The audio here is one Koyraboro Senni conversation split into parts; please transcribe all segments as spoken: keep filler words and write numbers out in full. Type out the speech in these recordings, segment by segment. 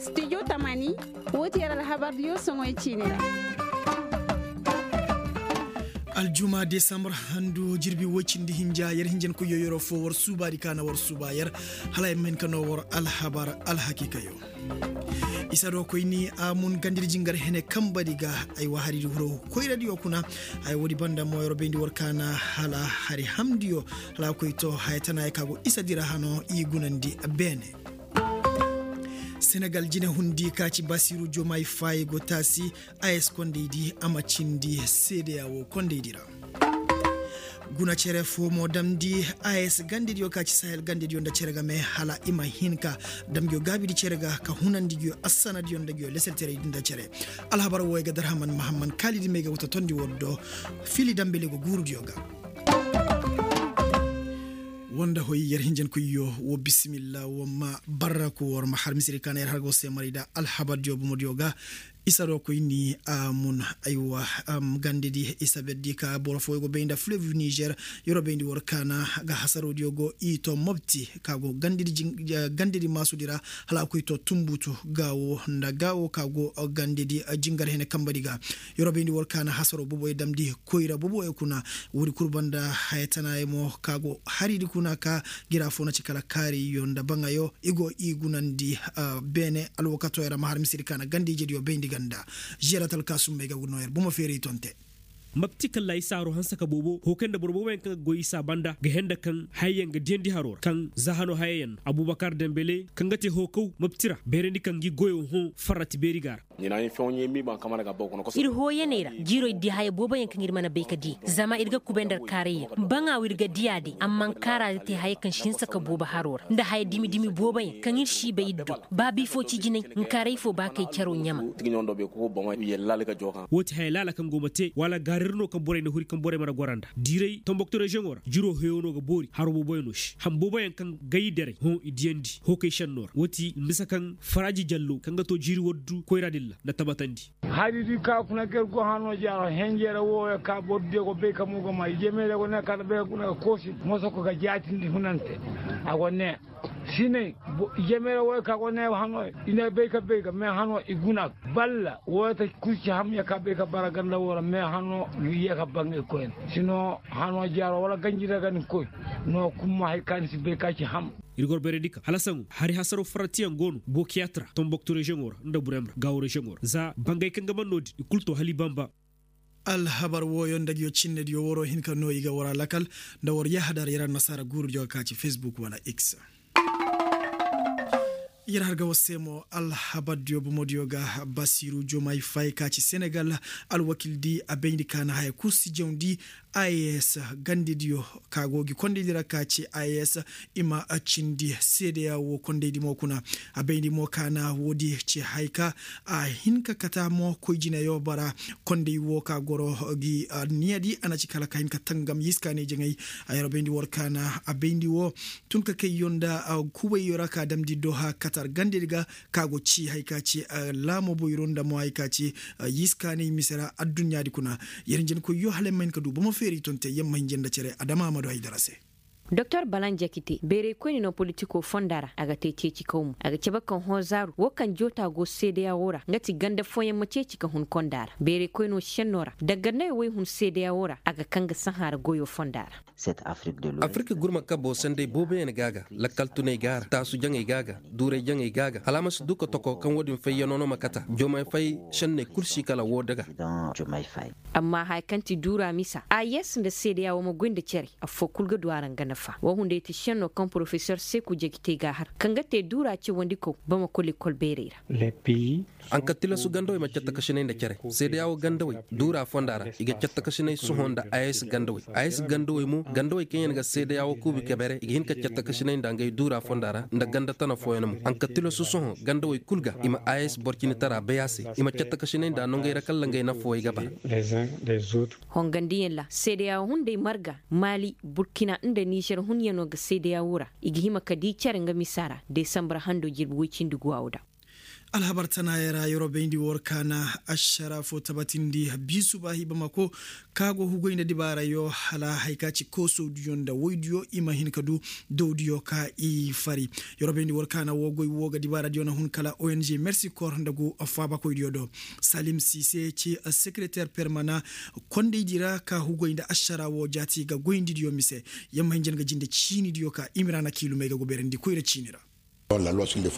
Studio tamani, wo ti yer alhabardiyo soŋoy ciini ra. Aljuma desambur handu jirbi woy cindi hinja yer hinjankoyyo yeroo foo war suubaadi ka na war suuba yer, hala ay ma hin ka noo war alhabar alhakiikayo. Isa do koyni a mun gandidi jingar hene kambadi ga. Ay wa haridi huro koyradiyo kuna. Ay woodi banda mo yeroo bayndi war ka na hala hari hamdiyo, hala koy to haya tana ya ka go isa dira hano i gunandi beene. Senegal jine hundi ka ci basiru jomay faayi go taasi. As kondaydi a ma cindi seedeya wo kondaydi ra. Guna cere foo mo damndi as gandediyo ka ci sahel gandediyo nda cere game hala i ma hin ka damgiyo gaabidi cere ga ka hunandi giyo assanadiyo nda giyo leselteraydi nda cere. Alhabar wo ay ga darhaman mahamman kaalidi may ga wata tondi wor do. Fili dambele go guurudiyo ga. Woo nda hoy yer hinjankoyyo woo bisimilla woo ma barraku war ma har misiri ka na yer har go se maray da alhabardiyo bomodiyo ga. Isa do koyni a mun aywa. Gandedi isa berdi ka boro fooyo go bay nda flevi nizer. Yeroo bayndi war ka na ga hasaroodiyo go i to mobti ka go gandedi maasudi ra. Hala a koy to tumbutu gaawo nda gaawo ka go gandedi jingar hene kambadi ga. Yeroo bayndi war ka na hasaroo boboyo damndi koyra boboyo kuna. Woodi kul banda haya tanayo mo ka go haridi kuna ka gira foo na ci kala kaariyo nda baŋayo i go i gunandi. Beene alwakatoo yer a ma har misiri ka na ganda ijediyo bayndi ganda. Žeeratal ka sumbay ga gu noo yer bomo feeray tonte. Mapti kalla isa haroo hanse ka boobo hoo kaŋ nda boro booboyaŋ kaŋ ga goy isa banda ga henda kaŋ hayayaŋ ga diyandi haroo ra kaŋ za hanoo hayayaŋ no abubakar dembele kaŋ ga te hoo kaw mapti ra beerandi kaŋ gi goyoo hõ farrati beeri ga a ra. Ir hooyaney ra jiiro ir di haya booboyaŋ kaŋ ir mana bay ka di zama ir ga kubay nda ir kaarayyaŋ baŋa wo ir ga diya day amma nkaara ga te haya kaŋ si hinsa ka boobo haroo ra nda haya dimi dimi booboyaŋ kaŋ ir si bay ir do. Ba biifo ci jinay nkaarey fo ba kay caroo ɲama. Woo ti haya laala kaŋ go ma te wala gaarir no kaŋ borey na huri kaŋ borey mana gora nda diiray tombokto reziyoŋo ra jiroo heyo no ga boori haro booboyaŋ no se ham booboyaŋ kaŋ gay derey hõ i diyandi hoo kay šennoo ra woo ti misa kaŋ faraaji jallo kaŋ ga too jiiri waddu koyra dilla nda tabatandi. Hari di ka kuna ga ir go hanoo jaaro henjere wooyo ka boro diyo go bay ka mo go ma i jemeere go ne ka nda bay ka kuna ga koosi moso ko ga jaatindi hunante. A go ne sinay. Jemeere wooyo ka go ne hanoo i ne bay ka bay ga mais hanoo i guna balla wooyo ta kul ci ham ya ka bay ka bara ganda woo ra mais hanoo i ye ka baŋ ir koyne. Sinoo hanoo jaaro wala ganji ra ga ni koy no kumma hari ka ni si bay ka ci ham. Ir gor beeredi ka hala saŋo hari hasaroo farratiyaŋ go no bokiyaat ra tomboktu reziyoŋo ra nda burem ra gaawo reziyoŋo ra za bangay kaŋ ga man no-din i kul too hala i bamba. Alhabar wooyo nda nguyo cinnediyo waroo hin ka noo i ga war a lakal nda war yahadar yer annasaara guurudiyo ga ka ci fesbuk wala x. Yer har ga war se mo alhabardiyo bomodiyo ga basiru jomay fay ka ci senegal alwakildi a bayndi ka na haya kul si jawndi. As gandediyo ka go gi kondaydi ra ka ci as i ma cindi seedeya woo kondaydi mo kuna. A bayndi mo ka na woodi ci hay ka a hin ka kata mo koy jineyo bara konday woo ka goro gi niyadi a na ci kala ka hin ka tangam yiskaanay jaŋay. A yer bayndi war ka na a bayndi woo tun ka kayyo nda kubayyo ra ka damndi doha katar gandedi ga ka go ci hay ka ci laamo boyro nda mo hay ka ci yiskaanay mise ra adduɲɲaadi kuna. Yer hinjankoyyo hala yer ma hin ka du bomo feeri tonte yer ma hinja nda cere adama a ma du haydara se. Doktor balan jakite bayraykoyne no politikoo fonda ra a ga te ceecikaw mo a ga cabe kaŋ hõ zaaru woo kaŋ joota go seedeya woo ra nga ti ganda fooyaŋ ma ceeci ka hun konda ra bayraykoynoo šennoo ra dangandayoo woy hun seedeya woo ra a ga kaŋ ga sahã ra goyoo fonda ra. Afirka gurma kaboo senday booboyaŋ ga a ga lakkal tunay ga a ra taasu jaŋay ga a ga duuray jaŋay ga a ga hala a ma si duu ka toko kaŋ woo-din fayyanoo no ma kata jomay fay šenney kul si kala woo daga. Amma haya kaŋ ti duura misa a yes nda seedeya woo ma goy nda cere affoo kul ga du a ra nga nafa woo hunday ti šennoo kaŋ porofesor seeku jagitey ga a har kaŋ ga te duura cawandikaw bamako lekol bayray ra. Ankatilasu gandawey ma cattakasinay nda cere seedeya woo gandawey duura fonda ra i ga cattakasinay sohõ nda a yes gandawey a yes gandawey mo gandawey kaŋ yaŋ ga seedeya woo kuubi kabere i ga hin ka cattakasinay nda ngey duura fonda ra nda ganda tana fooyaŋ mo ankatilasu sohõ gandawey kul ga i ma a yes borcinitara bay a se i ma cattakasinay nda nongey ra kalla ngey nafawey ga bara. Hongandiyaŋ ra seedeya woo hunday marga maali burkina nda nizer hunyanoo ga seedeya woo ra i ga hima ka dii cere nga misa ra desambar handoo jirbi woy cindi guwaawo da. Alhabar tanaayey ra yeroo bayndi war kaana ašara fo tabatindi biisu baahi bamako, ka go hugoy nda dibaarayo hala hari ka ci koosodiyo nda woydiyo i ma hin ka du dowdiyo ka i fari. Yeroo bayndi war kaana woo goy woo ga dibaaradiyo na hun kala ong mersi kor nda gu faabakoydiyo do. Salim sise ci sekereter permana kondaydi ra ka hugoy nda ašara woo jaati ga goyndi diyo mise. Yamma hinja nga jinde ciini diyo ka imira na kiilumey ga go beerandi koyra ciini ra. Alhukumo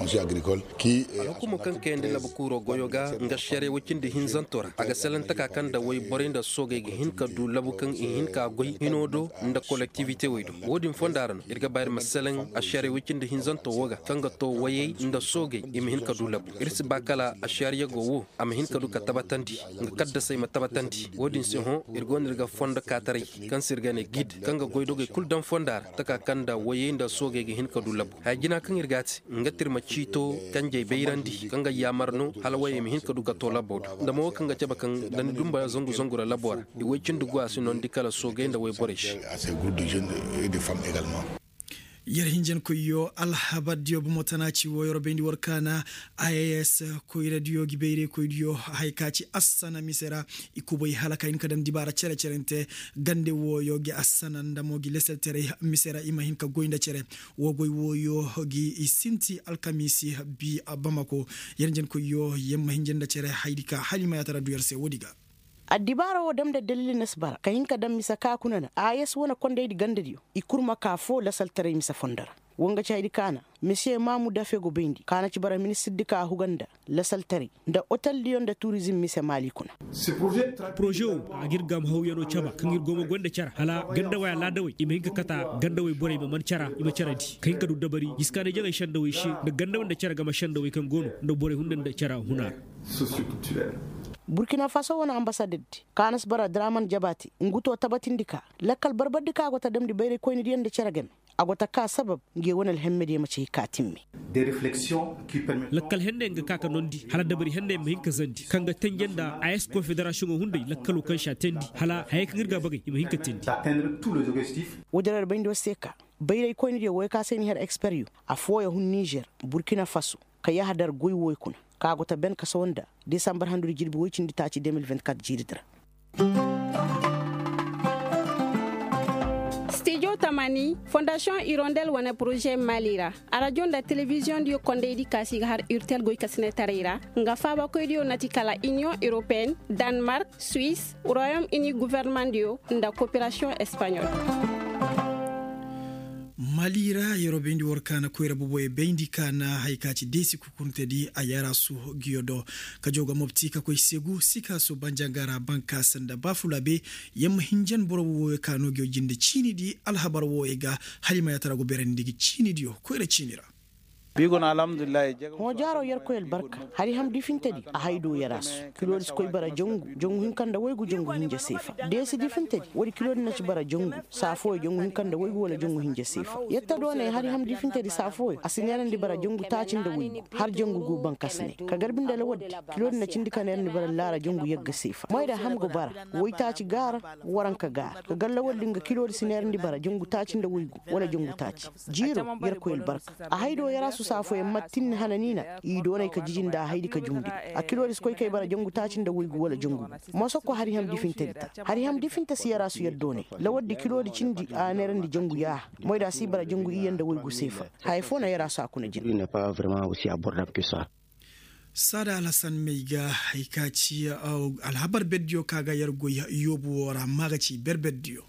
kaŋ kayandi labu kuuroo goyoo ga nga ašariya woy cindi hinzanto ra a ga salaŋ taka kaŋ nda woy borey nda soogey ga hin ka du labu kaŋ i hin ka goy hinoo do nda kolektiwite wey do. Woo din fonda ra no ir ga ba ir ma salaŋ ašariya woy cindi hinzanto woo ga kaŋ ga too woyey nda soogey i ma hin ka du labu. Ir si ba kala ašariya go woo a ma hin ka du ka tabatandi nga kaddasey ma tabatandi woo din se hõ. Ir go no ir ga fondo kaataray kaŋ se ir ga ne gid kaŋ ga goydogey kul daŋ fonda ra taka kaŋ nda woyey nda soogey ga hin ka du labu haya jina kaŋ ir ga a te. Nga tirma ciito kanjey bayrandi kaŋ ga yaamar no hala wayey ma hin ka du ga to laboo do nda mo wo kaŋ ga cabe kaŋ da ni dumba zangu zangu ra laboo ra. I woy cindi go a si noondi kala soogey nda woyborey se. Yer hinjankoyyo alhabardiyo bomo tana ci wo yer bayndi war kaana. Ayes koyradiyo gi bayraykoydiyo haya ka ci assana mise ra. I kubay hala ka hin ka daŋ dibaara cere-cerente gande wooyo gi assana nda mo gi leselteray mise ra i ma hin ka goy nda cere. Woo goy wooyo gi i sinti alkamiisi bi bamako. Yer njenkoyyo yer ma hinja nda cere haydi ka hala i ma yaatara du yer se woodi ga. Addibaara woo dam nda daliili na si bara ka hin ka daŋ mise ka kuna na a yes wane kondaydi gandadiyo i kul ma ka foo lasaltaray mise fondo ra. Woo nga ci haydi ka na misiye maamu dafe go bayndi ka na ci bara ministirdi ka huga nda lasaltaray nda oteldiyo nda turizim mise maali kuna. Poroze wo a ga ir gaama hawyanoo caba kaŋ ir go ma goy nda cara hala gandawey alaadawey i ma hin ka kata gandawey borey ma man cara i ma carandi ka hin ka du dabari jiskaanay jaŋay sendawey se nda gandawey nda cara game sendawey kaŋ go no nda borey hunda nda cara huna ra. Burkina faso wane ambasadaddi ka na si bara draman jabaate ngu to tabatindi ka lakkal barbardi ka go ta damndi bayraykoynadiyo nda care game. A go ta ka sabab nge wane alhemmediyo ma ci hay ka timme. Lakkal henneyaŋ ga ka ka noondi hala dabari henneyaŋ ma hin ka zandi kaŋ ga tenje nda a s konfederasiyoŋo hunday lakkaloo kaŋ se a teendi hala hayey kaŋ ir ga a bagay i ma hin ka teendi. Woodin ra bayndi war se ka bayraykoynediyo woy ka se ni har eksperyo afooyaŋ hun nizer, burkina faso, ka yahadar goy woy kuna ka go ta ben ka sawa nda desambar handudi jirbi woy cindi taaci de mil vingt-quatre jiiridi ra. Stijo tamani fondasiyoŋ irondel wane poroze maali ra, arajo nda telebiziyoŋdiyo kondaydi ka se i ga har urtel goykasinetaray ra, nga faabakoydiyo na ti kala iniyoŋ europeyen, danmark, suwis, royom ini guvernemandiyo nda koperasiyoŋ espaɲol. Mali ra yeroo bayndi war kaana koyra boboyey bayndi kaana hari ka ci deesi kukuntedi a yaraasu. Giyo do ka jaw ga mobti ka koy segu sikaasu banjangara bankaasa nda baafulaabe. Yamma hinjan boro wooyo ka no giyo jinde ciinidi alhabar wooyo ga hala i ma yaatara go beerandi gi ciinidiyo koyra ciini ra. Hõ jaaro yerkoy albarka. Hari ham difintedi a hay do yarasu. Kiloodi si koy bara jangu jangu hinka nda waygu jangu hinja seefa. Deesi difintedi woodi kiloodi na ci bara jangu saa fooyo jangu hinka nda waygu wala jangu hinja seefa. Yetta doonay hari ham difintedi saa fooyo a si neerandi bara jangu taaci nda waygu har jangu gu bankasinay ka garbi nda lawaddi. Kiloodi na cindi ka neerandi bara laara jangu yagga seefa moy da ham go bara waytaaci gaara. Waranka gaara ka gar lawaddi nga kiloodi si neerandi bara jangu taaci nda waygu wala jangu taaci. Jiiro yerkoy albarka. A hay do yarasu saa fooyaŋ mattinni hananiina. I doonay ka jiji nda a haydi ka jumndi. A kiloodi si koy kay bara jangu taaci nda waygu wala jangu gu. Moso ko hari ham difintedi ta hari ham difinta si yarasu yer doonay. Lawaddi kiloodi cindi a neerandi jangu yaaha. Moy da si bara jangu iyye nda waygu seefa. Haya foo na yarasu a kuna jina. Saada alhasan may ga hay ka ci alhabar berdiyo ka ga yer goy yoobu woo ra ma ga ci berberdiyo.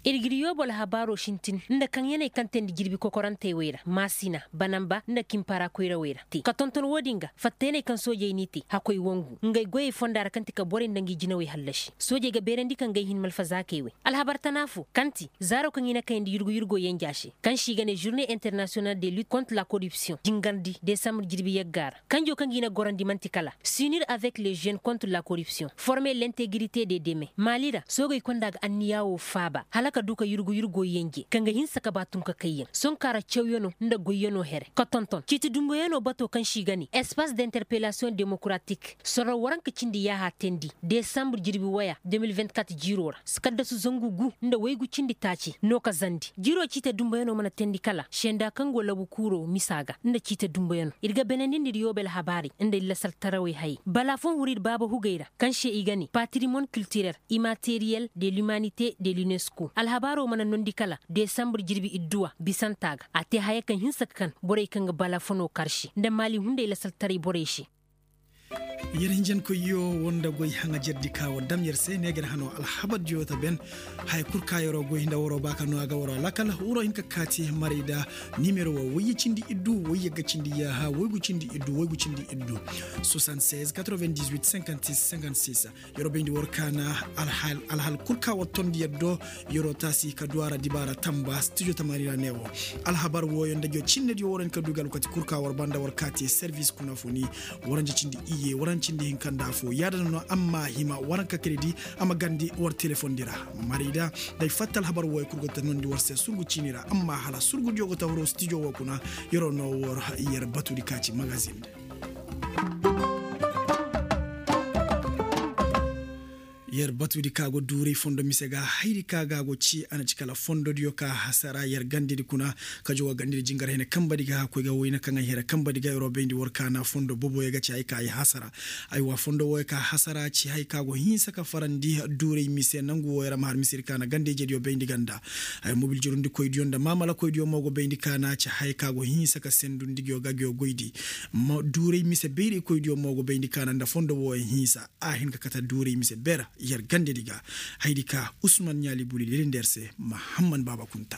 Ir g'ir yoobu alhabaaroo sintin nda kaŋ yaney kaŋ teendi jirbi kokorantey wey ra maasina banamba nda kimpara koyrawey ra te ka tonton woo din ga fattayaney kaŋ soojey n'i te hakkoy wangu ngey goyey fonda ra kaŋ ti ka borey nda ngi jinawey hallasi soojey ga beerandi ka ngey hin malfazaakey wey. Alhabar tana foo kaŋ ti zaaro kaŋ i na kayandi yurgu yurgo yenja se kaŋ se i ga ne žurnee internasiyonal de lut kont la koripsiyoŋ jingarndi desambre jirbi yagga ra kanjo kaŋ ga i na gorandi man'ti kala s'unir avek le žen kont la koripsiyoŋ forme lentegrite de deme maali ra soogey konda ga anniyaa woo faaba hala. Ka du ka yurgu yurgo yenje kaŋ ga hinsa ka ba tun ka kayyaŋ sonkaara cawyanoo nda goyyanoo here ka tonton ciiti dumboyanoo batoo kaŋ se i ga ne espace d'interpellation démocratique sorro waranka cindi yaaha teendi desambre jirbi waya de mil vingt-quatre jiiroo ra. Kaddasu zangu gu nda waygu cindi taaci no ka zandi jiroo ciitee dumboyanoo mana teendi kala senda kaŋ go labu kuuroo misa ga nda ciitee dumboyanoo ir ga benendindi ir yoobe alhabaarey nda ir lasaltarawey hayey balaafoŋ huru ir baaba hugey ra kaŋ se i ga ne patrimoine culturel immateriel de l'humanité de l'unesco alhabaaroo mana noondi kala desambre jirbi idduwa bisanta ga a te haya kaŋ hinsa ka kan borey kaŋ ga balafonoo kar se nda maali hunday lasaltaray borey se. Yer hinjankoyyo woo nda goy haŋajerdi ka war dam yer se ne ga yer hanoo alhabardiyo ta ben. Haya kul ka yeroo goy nda waroo ba ka noo a ga waroo lakkal waroo hin ka kaati maray da nimero woo woyye cindi iddu woyye ga cindi yaaha woygu cindi iddu woygu cindi iddu. Soixante-seize quatre-vingt-dix-huit cinquante-six cinquante-six. Yeroo bayndi war kaana alhal kul ka war tondi yer do. Yeroo taasi ka du a ra dibaara tamba stijo tamaani ra ne woo. Alhabar wooyo nda jo cinnediyo war hin ka du ga alwakati kul ka war banda war kaati servis kuna funi. Waranja cindi iyye waranja cindi hinka nda afoo yaada no amma hima waranka kredi. A ma gandi war telefondi ra. Marida, day fatta alhabar wooyo kul go ta noondi war se surgu ciini ra amma hala surgudiyo go ta huru stijo woo kuna. Yeroo no war yer batudi ka ci magazin. Yer batudi ka go duuray fondo mise ga hayri ka ga go ci a na ci kala fondodiyo ka hasara yer gandedi kuna. Ka jowa gandedi jingar hene kambadi ga koy ga wayna kaŋ ay hira kambadi ga yeroo bayndi war ka na fondo boboyo ga ci hay ka ay hasara. Aywa fondo wooyo ka hasara ci hay ka go hinsa ka farandi duuray mise nangu wooyo ra ma har misiri ka na ganda ijediyo bayndi ganda. Ay mobil jirundikoydiyo nda maamalakoydiyo mo go bayndi ka na ci hay ka go hinsa ka sendu nda ngiyo ga ngiyo goydi. Duuray mise bayraykoydiyo mo go bayndi ka na nda fondo wooyo hinsa. A hin ka kate duuray mise ber yer gandedi ga. Haydi ka usman ɲaali buli lelindi yer se mahamman baaba kunta.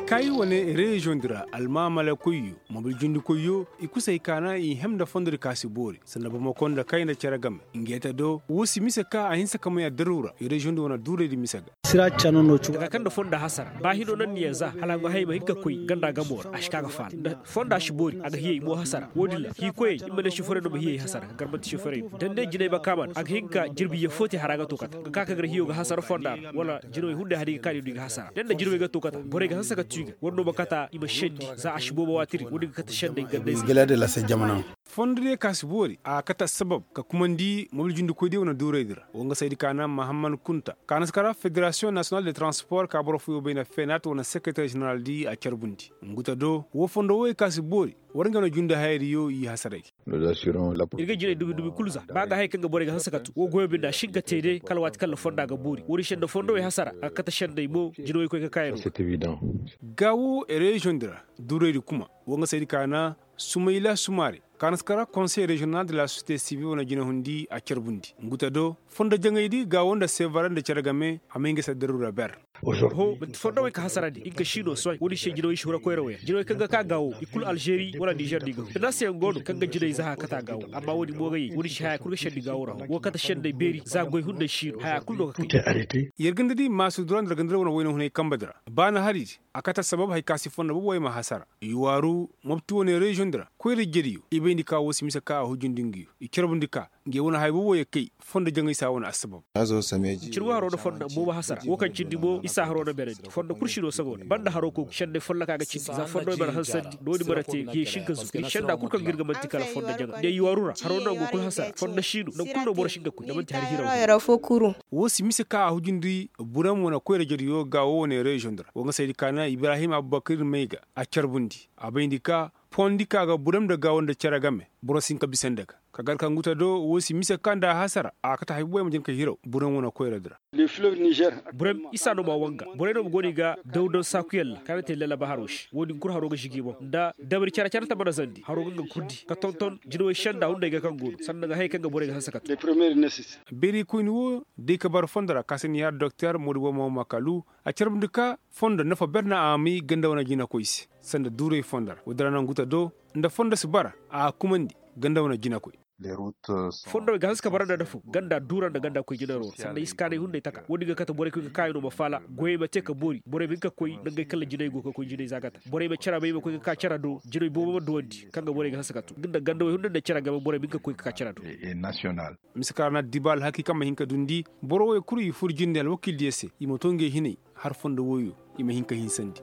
Kay wane reziyoŋ di ra almaamala koyyo mobil jindi koyyo i kusay kaana i hem nda fondo di ka si boori sanda bamako nda kay nda cere game. Ngeeta do wo si mise ka a hinsa ka may addaru ra reziyoŋ di wane duuray di mise ga. Sira cano no cuga kaŋ nda fondo hasara ba hino naŋ ni yaŋ za hala a go hay ma hin ka koy ganda gamo ra a si ka ga faala nda fondo a si boori a ga hiyey mo hasara wo- din ra hiikoyey i ma ne soforey no ma hiyey hasara ka garmanti soforey do da ni ne jinay bakaama a ga hin ka jirbi yafo te hara ga to kata ga ka kaŋ ga ra hiyo ga hasara fonda ra wala jinawey hunday hari ga kaani du i ga hasara da ni na jinawey ga to kata borey ga hanse ka tu i ga war no ma kata i ma sendi za a si boobo waati din wo- din ga kata sendey gandey se. Fondo diyo ka si boori a ga kate assabab ka kumandi mobil jundikoy diyo wane duuray di ra wo nga saydi ka na mahamman kunta ka na si kara federasiyoŋ nasiyonal de transpor ka boro fooyoo bay na feenaat wane sekereter jeneral di a carbundi. Nguta do wo fondo woyey ka si boori war nga no jundi hayadiyo i hasaray. Ir ga jinay dumi dumi kul za ba ga haya kaŋ ga borey ga hanse ka tu wo goyo binde a si hin ka te day kala waati kaŋ na fonda ga boori wo- din senda fondowey hasara a ga kate sendey mo jinawey koy ka kaayano. Ga wo reziyoŋ di ra duuraydi kuma wo nga saydi ka na sumayla sumaari ka na si kara konsey reziyonal de la sosiyete sibil wane jinahundi a carbundi nguta do fondo jaŋaydi ga wo nda sevare nda cere game a may nga si addaru ra ber. Ho manti fondowey ka hasarandi i ga ka siino soy wo- din se jinawey si hura koyra wo yaŋ jinawey kaŋ ga ka gaawo i kulu alžeri wala nizer no i ga huru finansey yaŋ go no kaŋ ga jinay za haya kate a gaawo amma wo- din mo ga yey wo- din se haya kulu ga sendi gaawo ra hõ wo kate sendey beeri za goy hunday siino haya kulu no ga kay. Yer ganda di maasur dura nda yer ganda di wane wayna hunay kamba di ra ba na hari di a kate assabab hari ka si fondo boobo wey ma hasara i waaru mopti wane reziyoŋ di ra koyra jediyo i bayndi ka wo si mise ka a hujundi ngiyo i carbundi ka nge wane haya boobo ye kay fondo jaŋay si a wane assabab. Cirwa haro nda fondo boobo hasara wo kaŋ cindi mo isa haro nda berandi fondo kul si no sago nda banda haro kogu sende folloka ga cindi za fondo i mana hansandi no- din mana te nge si hin ka zuru ir senda kul kaŋ ga ir ga manti kala fondo jaŋa nde i waaru ra haro nda go kul hasara fondo si no nangu kul no boro si hin ka koy nda manti hari hiraw. Wo si mise ka a hujundi buram wane koyra jediyo ga wo wane reziyoŋ di ra wo nga saydi ka na ibrahim abubakar may ga a carbundi a bayndi ka pondi ka ga buram nda gaawo nda cere game boro si hin ka bisa nda ga ka gar ka nguta do wo si mise ka nda a hasara a kate hay boobo ay ma jin ka hiraw buram wane koyra di ra. Buram isa no ma wanga borey no ma go no i ga dawdaw saakuyaŋ ra kaŋ a na te lallaba haro se wo- din kul haro ga žigi boŋ nda dabari care care ta mana zandi haro ga nga kul di ka tonton jinawey senda hunday ga kaŋ go no sanda nga hayey kaŋ ga borey ga hanse ka tun. Beerikoyni wo day ka bara fondo ra ka se ni har doktor moodu bomo makalu a carbundi ka fondo nafa ber no a may ganda wane jinakoy se sanda duuray fondo ra wo- din ra nangu ta do nda fondo si bara a ga kumandi ganda wane jinakoy. Fondowey ga hanse ka bara nda nda fo ganda duura nda ganda koy jinaro ra sanda iskaanay hunday taka wo- din ga kate borey koy ga kaayanoo ma faala goyey ma te ka boori borey ma hin ka koy nangey kaŋ ra jinay go ga koy jinay za ga ta borey ma cere ma i ma koy ga ka cere do jinay boobo ma duwandi kaŋ ga borey ga hanse ka tun nga nda gandawey hunday nda cere game borey ma hin ka koy ga ka cere do. Mise kaŋ ra na addiba alhaki kaŋ ma hin ka dundi boro woy kulu i fur jinde alwakiildiyo se i ma to ngey hinay har fondo woyo i ma hin ka hinsandi.